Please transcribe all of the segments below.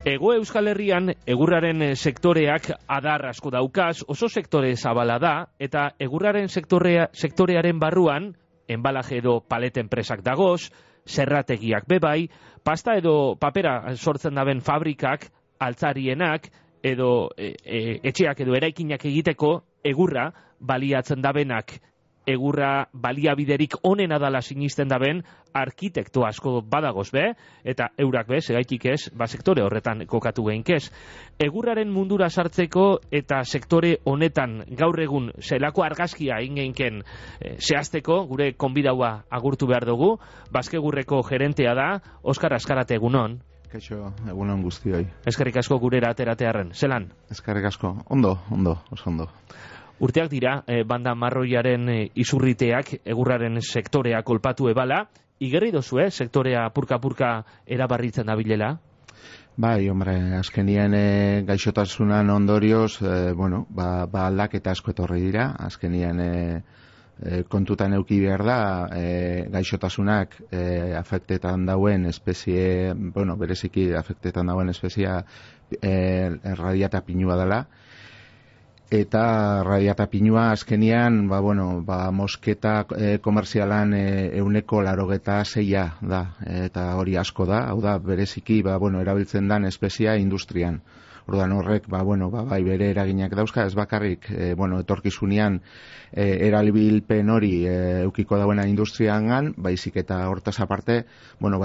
Hego Euskal Herrian egurraren sektoreak adar asko daukaz, oso sektore zabala da, eta egurraren sektorearen barruan, enbalaje edo palete enpresak dagoz, zerrategiak bebai, pasta edo papera sortzen daben fabrikak, altzarienak, edo etxeak edo eraikinak egiteko egurra baliatzen dabenak. Egurra baliabiderik onena dala sinisten daben arkitekto asko badagoz be, eta eurak be, segaitik ez, sektore horretan kokatu geinkez. Egurraren mundura sartzeko eta sektore honetan gaur egun zelako argazkia ingeinken zehazteko, gure konbidaua agurtu behar dugu, Baskegurreko gerentea da, Oskar Azkarate, egunon. Kaixo, egunon guztioi. Eskerrik asko gurera ateratearren, zelan? Eskerrik asko, ondo, oso ondo. Urteak dira, banda marroiaren izurriteak egurraren sektorea kolpatu ebala, igerri dozu, sektorea purka-purka erabarritzen dabilela? Bai, hombre, azkenien gaixotasunan ondorioz, aldaketa asko etorri dira, azkenien kontutan eduki behar da, gaixotasunak afektetan dauen espezie, bereziki afektetan dauen espezia radiata pinua dela, eta radiata pinua azkenian, mosketa komerzialan 86% da, eta hori asko da, hau da, bereziki, erabiltzen dan espezia industrian. Orduan horrek, bai bere eraginak dauzka, ez bakarrik, etorkizunean erabilpen hori eukiko dauena industriangan, baizik eta hortaz aparte,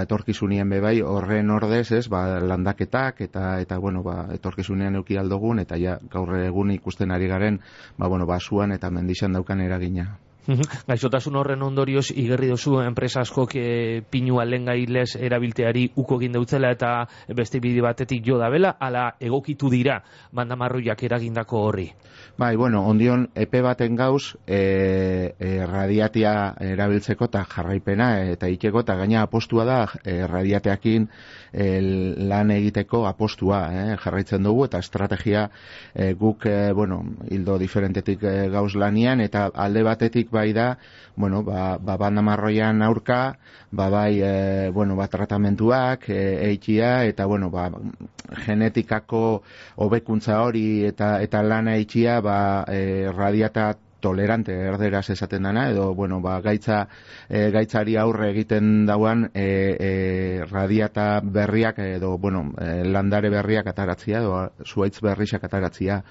etorkizunean bebai horren ordez, ez, landaketak eta etorkizunean euki aldogun, eta ja gaur egun ikusten ari garen, basuan eta mendixan daukan eragina. Gaixotasun horren ondorioz igerri dozu enpresa askok pinua lehengailez erabilteari uko egin dautzela eta beste bide batetik jo dabela, ala egokitu dira bandamarroiak eragindako horri? Bai, ondion epe baten gauz radiatia erabiltzeko eta jarraipena eta ikeko eta gaina apostua da radiateakin lan egiteko apostua jarraitzen dugu eta estrategia guk hildo diferentetik gauz lanian eta alde batetik bai da, bandamarroian aurka, tratamentuak, eitia, eta, genetikako hobekuntza hori eta lana eitia, radiata tolerante erderaz esaten dana, edo, gaitzari aurre egiten dauan radiata berriak, edo, landare berriak ataratzia, edo, zuaitz berriak ataratzia.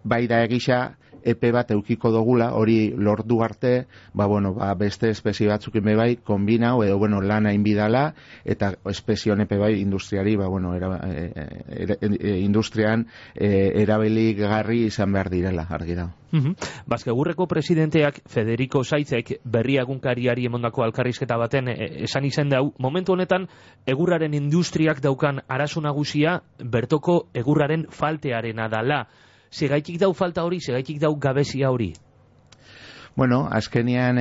Bai da egisa, epe bat eukiko dogula, hori lortu arte, beste espezie batzukin bebai, kombinau, edo, lana inbidala, eta espezioen epe bai industriari, industrian erabiligarri izan behar direla, argi da. Baskegurreko presidenteak Federico Saitzek berri egunkariari emondako alkarrizketa baten esan izen dau, momentu honetan egurraren industriak daukan arazo nagusia bertoko egurraren faltearena dala. Segaitik dau falta hori, segaitik dau gabezia hori? Azkenean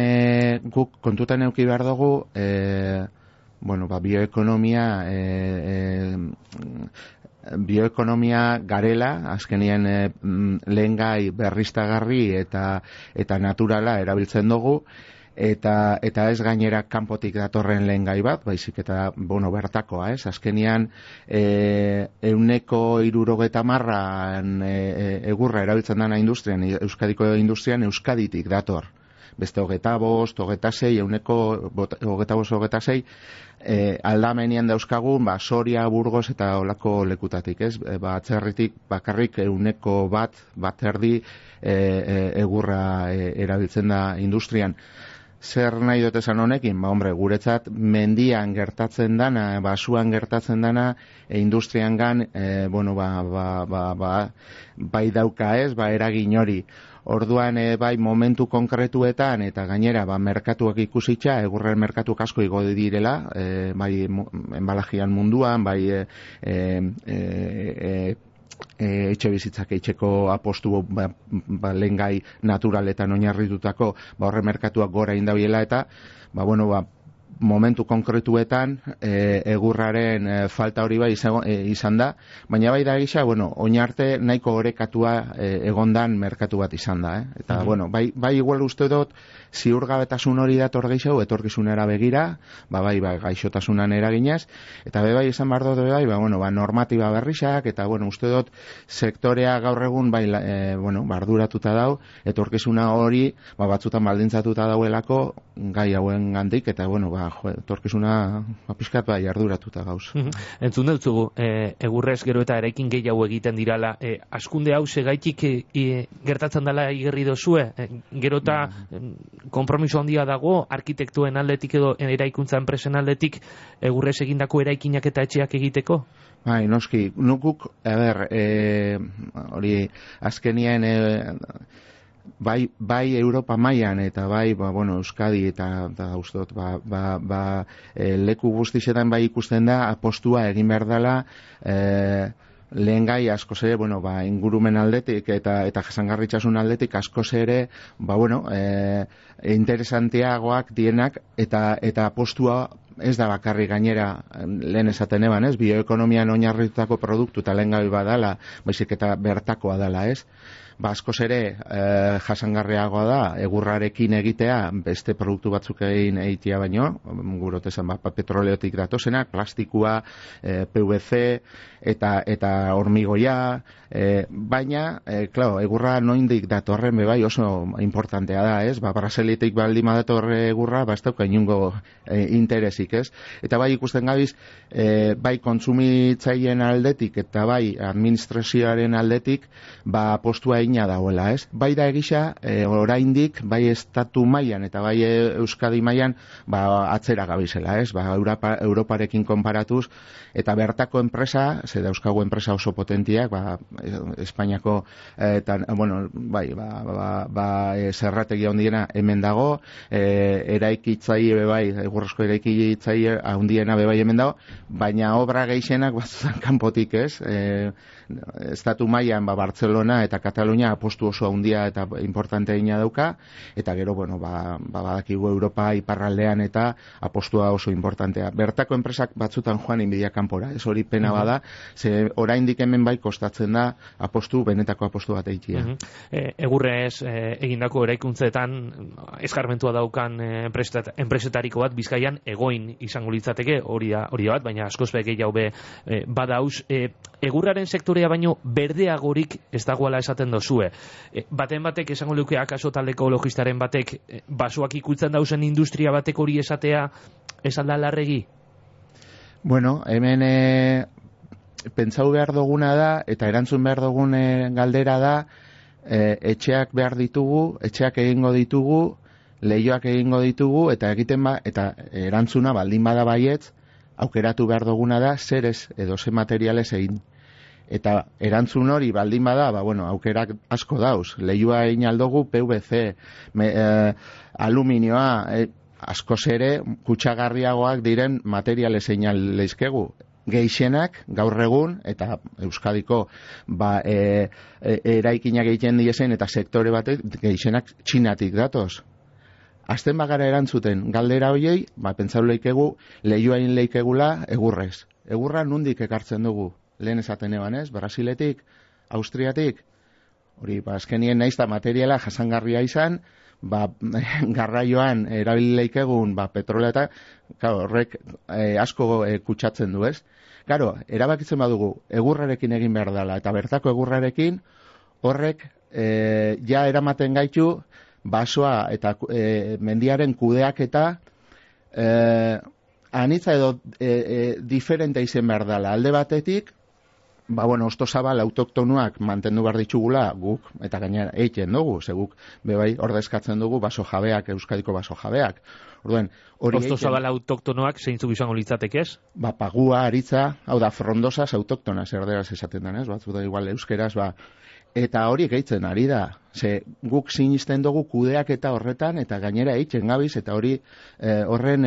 guk kontutan eduki behar dugu, bioekonomia garela, azkenean lehengai berriztagarri eta naturala erabiltzen dugu, eta ez gainera kanpotik datorren lehengai bat, baizik eta bertakoa, ez? Azkenean 170 egurra erabiltzen dana industrian, Euskadiko industrian Euskaditik dator. Beste 25, 26, 25, 26 aldamenian dauzkagun, Soria, Burgos eta olako lekutatik, ez? Atzerritik bakarrik 100 bat erdi egurra erabiltzen da industrian. Zer nahi dut esan honekin? Guretzat mendian gertatzen dana, basuan gertatzen dana, industriangan, bai dauka ez, eragin hori. Orduan, bai momentu konkretuetan, eta gainera, merkatuak ikusitza, egurren merkatuak asko igo direla, bai enbalajian munduan, bai etxe bizitzak etxeko apostu lehengai naturaletan oinarritutako horre merkatuak gora indabiela eta momentu konkretuetan egurraren falta hori bai izan da, baina bai da gisa, bueno, oin arte nahiko orekatua egondan merkatu bat izan da, eta, bueno, bai igual uste dut, ziurgabetasun hori dator gehiago, etorkizunera begira, bai gaixotasunan eraginez, eta bai izan behar dut, bueno, normatiba berrisak, eta, bueno, uste dut, sektorea gaur egun, barduratuta dau, etorkizuna hori, batzutan baldintzatuta dauelako, gai hauen gandik, eta, bueno, etorkizuna pixkat arduratuta gauz. Entzun dutzugu, egurrez gero eta eraikin gehiago egiten dirala, askunde hau segaitik gertatzen dela igerri dozue, gero eta konpromiso handia dago, arkitektuen aldetik edo eraikuntza enpresen aldetik egurrez egindako eraikinak eta etxeak egiteko? Bai, noski, nukuk, hori, azkenien bai Europa mailan eta bai Euskadi eta ustot leku guztietan bai ikusten da apostua egin behar dela lehen gai askoz ere ingurumen aldetik eta jasangarritasun aldetik askoz ere interesanteagoak dienak eta apostua ez da bakarrik gainera lehen esaten eban, bioekonomian oinarritutako produktu eta lehen gai badala, baizik eta bertakoa dela, askoz ere jasangarriagoa da egurrarekin egitea beste produktu batzuk egitea baino, gurotezan petroleotik datozenak, plastikua, PVC eta hormigoia, baina, egurra noindik datorren bebai oso importantea da, Brasiliatik baldin datorre egurra, ez dauka inungo interesik, eta bai ikusten gabiz, bai kontsumitzaileen aldetik eta bai administrazioaren aldetik, postua egina dagoela, Bai da egisa, oraindik, bai estatu mailan eta bai Euskadi mailan, atzera gabizela, Europarekin konparatuz, eta bertako enpresa, ze dauzkagu enpresa oso potentiak, Espainiako, zerrategia handiena hemen dago, eraikitzaile bebai, egurrezko eraikitzaile handiena bebai hemen dago, baina obra gehienak batzutan kanpotik, estatu mailan Barcelona eta Katalunia apostu oso handia eta importante egina dauka, eta gero, badakigu Europa iparraldean eta apostua oso importantea. Bertako enpresak batzutan joan inbidia kanpora, hori pena bada, ze oraindik hemen bai kostatzen da benetako apostu bat egitea. Egurrez egindako eraikuntzetan eskarmentua daukan enpresetariko bat Bizkaian Egoin izango litzateke, hori bat, baina askoz gehiago badauz. Egurraren sektorea baino berdeagorik ez dagoela esaten dozue. Baten batek esango luke akaso taldeko logistaren batek basoak ikutzen dauzen industria batek hori esatea esalda larregi? Bueno, hemen pentsau behar duguna da eta erantzun behar dugun galdera da, etxeak behar ditugu, etxeak egingo ditugu, lehioak egingo ditugu, eta eta erantzuna baldin bada baietz, aukeratu behar duguna da zer ez edo ze materialez egin. Eta erantzun hori baldin bada, aukerak asko dauz. Lehioa egin aldogu, PVC, aluminioa, askoz ere kutsagarriagoak diren materialez egin leizkegu. Gehienak gaur egun eta Euskadiko eraikinak egiten diezen eta sektore batek gehienak Txinatik datoz. Azten bagara erantzuten galdera hoiei, pentsau leikegu lehioain leikegula egurrez. Egurra nundik ekartzen dugu? Lehen esaten eban, Brasiletik, Austriatik, hori, azkenien naiz da materiala jasangarria izan, garraioan erabilileikegun petrolea eta horrek asko kutsatzen du, Karo, erabakitzen badugu egurrarekin egin behar dela, eta bertako egurrarekin horrek ja eramaten gaitu basoa eta mendiaren kudeak eta anitza edo diferente izen behar dela. Alde batetik, ostozabal autoktonuak mantendu behar ditugula guk, eta gainera egiten dugu, ze guk bebai ordezkatzen dugu baso jabeak, Euskadiko baso jabeak. Ostozabal autoktonoak zeintzuk izango litzateke ez? Pagua, aritza, hau da, frondosas autoktonas erderaz esaten denez, batzuta igual euskeraz, eta hori gehitzen ari da. Ze guk sinisten dugu kudeak eta horretan, eta gainera eitzen gabiz, eta hori horren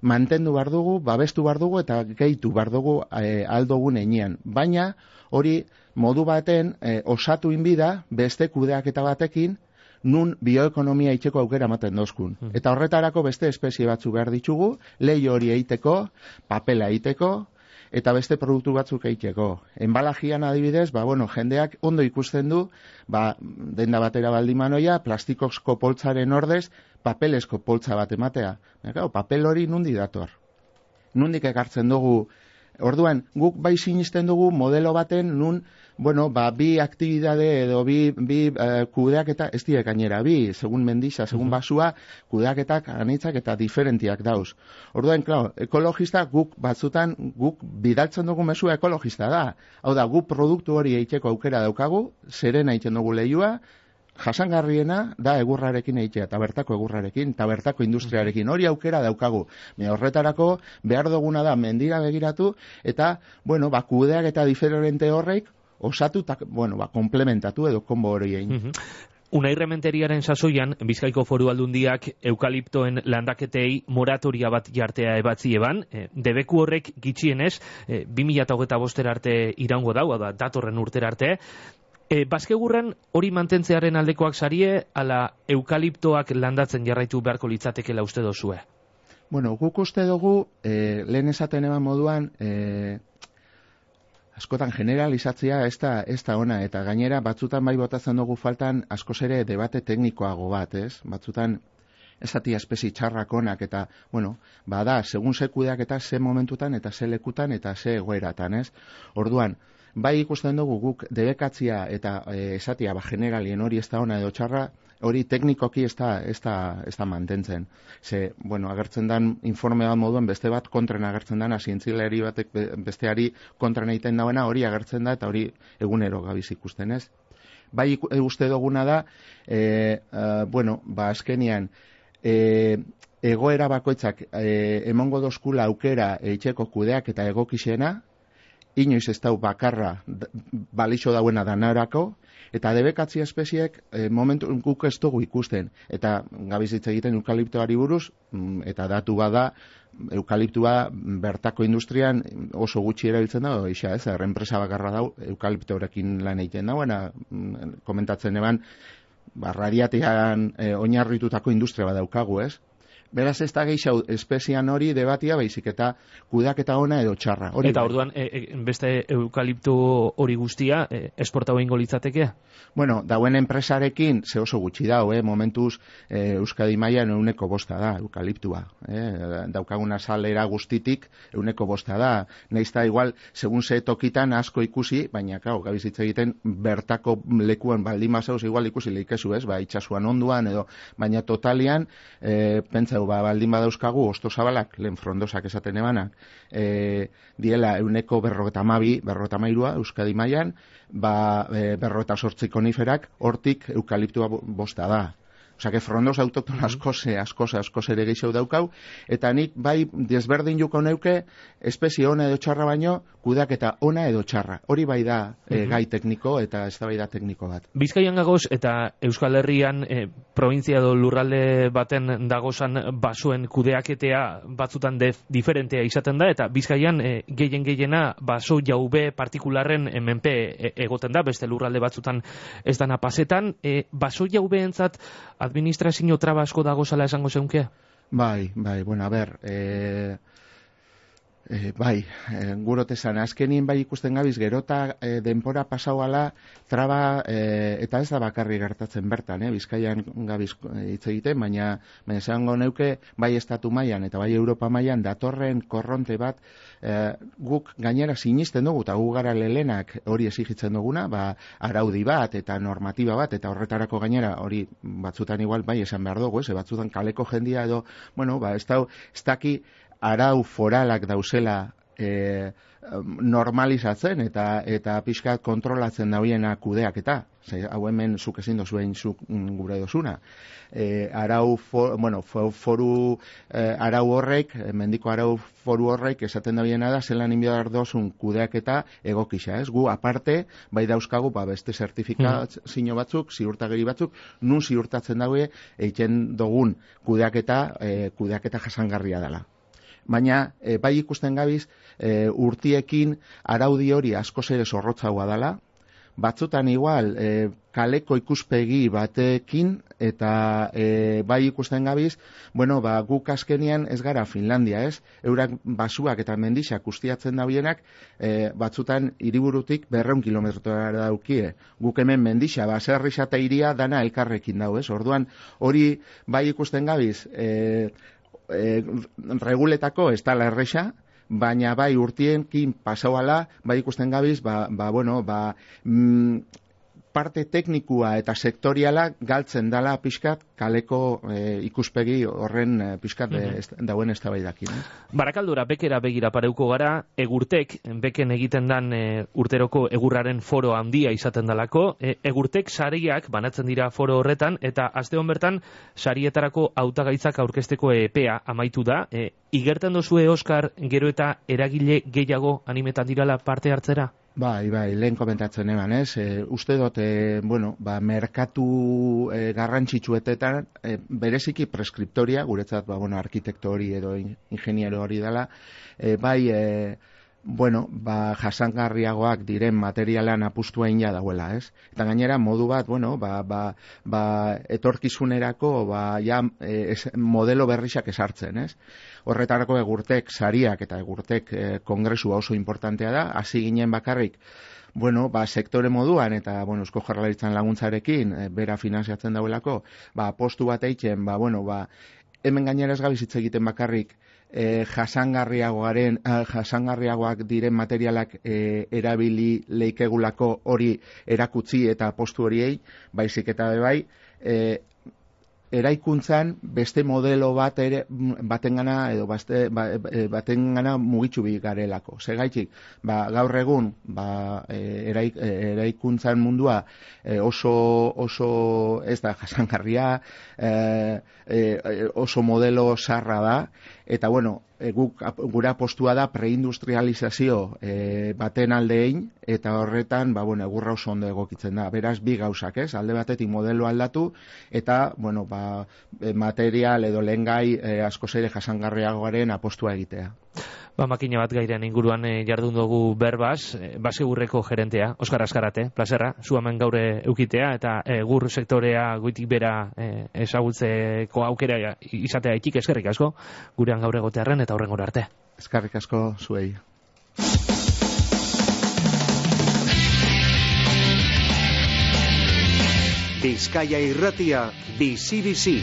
mantendu behar dugu, babestu behar dugu, eta gehitu behar dugu aldogun einean. Baina hori modu baten osatu inbida beste kudeak eta batekin, nun bioekonomia itxeko aukera ematen dozkun. Eta horretarako beste espezie batzu behar ditugu, lehi hori eiteko, papela eiteko, eta beste produktu batzuk eiteko. Enbalajian adibidez, jendeak ondo ikusten du, denda batera baldimanoia, plastikozko poltzaren ordez, papelezko poltza bat ematea. Papel hori nundi dator. Nundik ekartzen dugu. Orduan, guk bai sinisten dugu modelo baten nun, bi aktibidade edo bi kudeaketa, ez direk gainera, segun mendiza, segun basua, kudeaketak anitzak eta diferentiak dauz. Orduan, ekologista guk batzutan, guk bidaltzen dugu mesua ekologista da. Hau da, guk produktu hori eiteko aukera daukagu, zerena egiten dugu lehiua, jasangarriena da egurrarekin egitea, eta bertako egurrarekin, eta bertako industriarekin, hori aukera daukagu. Horretarako behar duguna da mendira begiratu, eta, kudeak eta diferente horreik, osatu, komplementatu edo konbo hori egin. Unai Rementeriaren sasoian, Bizkaiko Foru Aldundiak eukaliptoen landaketei moratoria bat jartea ebatzi eban, debeku horrek gitxienez, 2025 arte iraungo dau, datorren urtera arte. Baskegurran hori mantentzearen aldekoak sarie, ala eukaliptoak landatzen jarraitu beharko litzatekela uste dozue? Guk uste dugu, lehen esaten eban moduan, askotan generalizatzea ez da ona, eta gainera batzutan bai botatzen dugu faltan askoz ere debate teknikoago bat, ez? Batzutan esatia espezi txarrak onak, eta, segun ze kudeak eta ze momentutan, eta ze lekutan, eta ze egoeratan, ez? Orduan, bai ikusten dugu guk debekatzia eta esatia generalien hori ez da ona edo txarra, hori teknikoki ez da mantentzen. Ze, agertzen dan informe bat moduen beste bat kontren agertzen dana, zientzileri batek besteari kontren egiten dauena, hori agertzen da eta hori egunero gabiz ikusten, ez? Bai uste duguna da, azkenian, egoera bakoitzak emongo dozkula aukera eitxeko kudeak eta egokixena, inoiz ez dau bakarra balixo dauena danarako, eta debekatzi espeziek momentu guk ez dugu ikusten. Eta gabizitza egiten eukaliptoari buruz, eta datu bada, eukaliptua bertako industrian oso gutxi erabiltzen da, enpresa bakarra dau, eukaliptorekin lan egiten dauena, komentatzen eban, radiatian oinarritutako industria bat daukagu, ez? Beraz ez da gehiago espezian hori debatia baizik eta kudeaketa ona edo txarra. Eta orduan beste eukalipto hori guztia esportau egingo litzatekea? Dauen enpresarekin ze oso gutxi dau, momentuz Euskadi mailan 100% da eukaliptua. Daukaguna salera guztitik 100% da. Naiz da igual, segun ze tokitan asko ikusi, baina gabizitza egiten bertako lekuan baldin mazauz igual ikusi leikezu, itxasuan onduan edo, baina totalian pentsa baldin badauzkagu, osto zabalak, lehen frondosak esaten ebanak, diela 152 Euskadi mailan, 58 koniferak, hortik eukaliptua bosta da. Osea, frondoz autokton askoz ere gehiago daukau, eta nik bai desberdin juko neuke espezie ona edo txarra baino, kudeaketa ona edo txarra. Hori bai da gai tekniko eta ez da bai da tekniko bat. Bizkaian gagoz eta Euskal Herrian provintzia edo lurralde baten dagozan basoen kudeaketea batzutan diferentea izaten da, eta Bizkaian gehiena baso jaube partikularren menpe egoten da, beste lurralde batzutan ez dana pasetan. Baso jaubeentzat administrazio traba asko dagozala esango zeunke? Bai, gurotezan, azkenien bai ikusten gabiz, gerota denpora pasau ala, traba, eta ez da bakarri gertatzen bertan, Bizkaian gabiz hitz egiten, baina esango neuke, bai estatu mailan eta bai Europa mailan datorren korronte bat, guk gainera sinisten dugu, eta gu gara lelenak hori exigitzen duguna, araudi bat eta normatiba bat, eta horretarako gainera hori batzutan igual bai esan behar dugu, batzutan kaleko jendia edo, ez daki arau foralak dauzela normalizatzen eta pixkat kontrolatzen dauiena kudeak eta hau hemen zuk ezin dozuen zuk gure dozuna. Arau horrek, mendiko arau foru horrek esaten dauiena da zelan inbiar dozun kudeak eta egokisa, ez? Gu aparte, bai dauzkagu beste zertifikazio batzuk, ziurtagiri batzuk, nun ziurtatzen daue egiten dugun kudeaketa jasangarria dela. Baina, bai ikusten gabiz, urtiekin araudi hori askoz ere zorrotzagoa dela, batzutan igual kaleko ikuspegi batekin eta bai ikusten gabiz, bueno, guk azkenian ez gara Finlandia, ez? Eurak basuak eta mendixak ustiatzen dabienak, batzutan hiriburutik 200 kilometrora daukie. Guk hemen mendixa, baserrixa eta hiria dana elkarrekin dau, ez? Orduan, hori bai ikusten gabiz, reguletako ez dala erresa, baina bai urtienkin pasauala, bai ikusten gabiz, parte teknikua eta sektoriala galtzen dala pixkat kaleko ikuspegi horren pixkat dauen eztabaidakin. Barakaldora bekera begira pareuko gara, Egurtek, beken egiten dan urteroko egurraren foro handia izaten dalako, Egurtek sariak banatzen dira foro horretan, eta aste hon bertan sarietarako hautagaitzak aurkezteko epea amaitu da. Igerten dozue, Oskar, gero eta eragile gehiago animetan dirala parte hartzera? Bai, lehen komentatzen eman, ez? Uste dut, merkatu garrantzitsuetetan, bereziki preskriptoria, guretzat, arkitekto hori edo ingeniero hori dela, jasangarriagoak diren materialan apustua ina dauela, ez? Eta gainera, modu bat, etorkizunerako, modelo berrixak esartzen, ez? Horretarako Egurtek sariak eta Egurtek kongresua oso importantea da, hasi ginen bakarrik, sektore moduan eta, Eusko Jaurlaritzan laguntzarekin, bera finanziatzen dauelako, postu bat eitzen, hemen gainera ez gabiz hitz egiten bakarrik, jasangarriagoak diren materialak erabili leikegulako hori erakutsi eta postu horiei, baizik eta bai, eraikuntzan beste modelo batengana edo batengana mugitzu bi garelako. Segaitik, gaur egun eraikuntzan mundua oso ez da jasangarria, oso modelo sarra da, eta gura postua da preindustrializazio baten aldein, eta horretan, egurra oso ondo egokitzen da. Beraz, bi gauzak, ez? Alde batetik modelo aldatu, eta, material edo lehengai asko zeire jasangarriagoaren apostua egitea. Makina bat gairean inguruan jardun dugu berbaz, Basegurreko gerentea, Oskar Azkarate, plazerra, zu hemen gaur eukitea, eta egur sektorea goitik bera ezagutzeko aukera izatea itik, eskerrik asko, gurean gaur egotearren eta horrengora arte. Eskerrik asko zuei. Bizkaia Irratia, bizi-bizi.